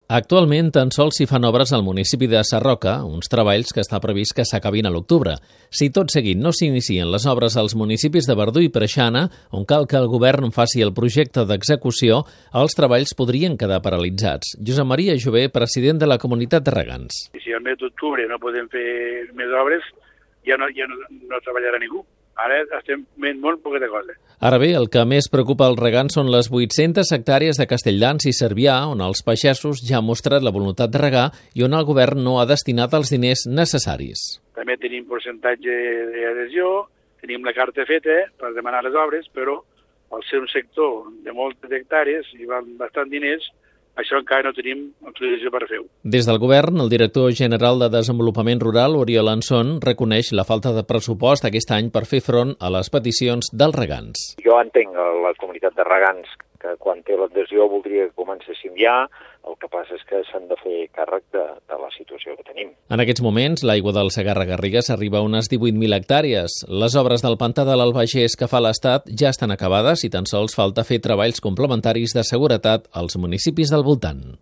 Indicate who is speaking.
Speaker 1: Actualment tan sols s'hi fan obres al municipi de Sarroca, uns treballs que està previst que s'acabin a l'octubre. Si tot seguit no s'inicien les obres als municipis de Verdú i Preixana, on cal que el govern faci el projecte d'execució, els treballs podrien quedar paralitzats. Josep Maria Jové, president de la Comunitat de Regants.
Speaker 2: Si al mes d'octubre no podem fer més obres, ja no treballarà ningú. Ara estem fent molt poqueta cosa.
Speaker 1: Ara bé, el que més preocupa als regants són les 800 hectàrees de Castelldans i Cervià, on els pagesos ja han mostrat la voluntat de regar i on el govern no ha destinat els diners necessaris.
Speaker 2: També tenim percentatge d'adhesió, tenim la carta feta per demanar les obres, però al ser un sector de moltes hectàrees i van bastant diners, això encara no tenim autorització per fer-ho.
Speaker 1: Des del govern, el director general de Desenvolupament Rural, Oriol Anson, reconeix la falta de pressupost aquest any per fer front a les peticions dels regants.
Speaker 3: Jo entenc la comunitat de regants que quan té l'adhesió voldria que comencéssim ja, el que passa és que s'han de fer càrrec de la situació que tenim.
Speaker 1: En aquests moments, l'aigua del Segarra-Garrigues arriba a unes 18.000 hectàrees. Les obres del pantà de l'Albagés que fa l'Estat ja estan acabades i tan sols falta fer treballs complementaris de seguretat als municipis del voltant.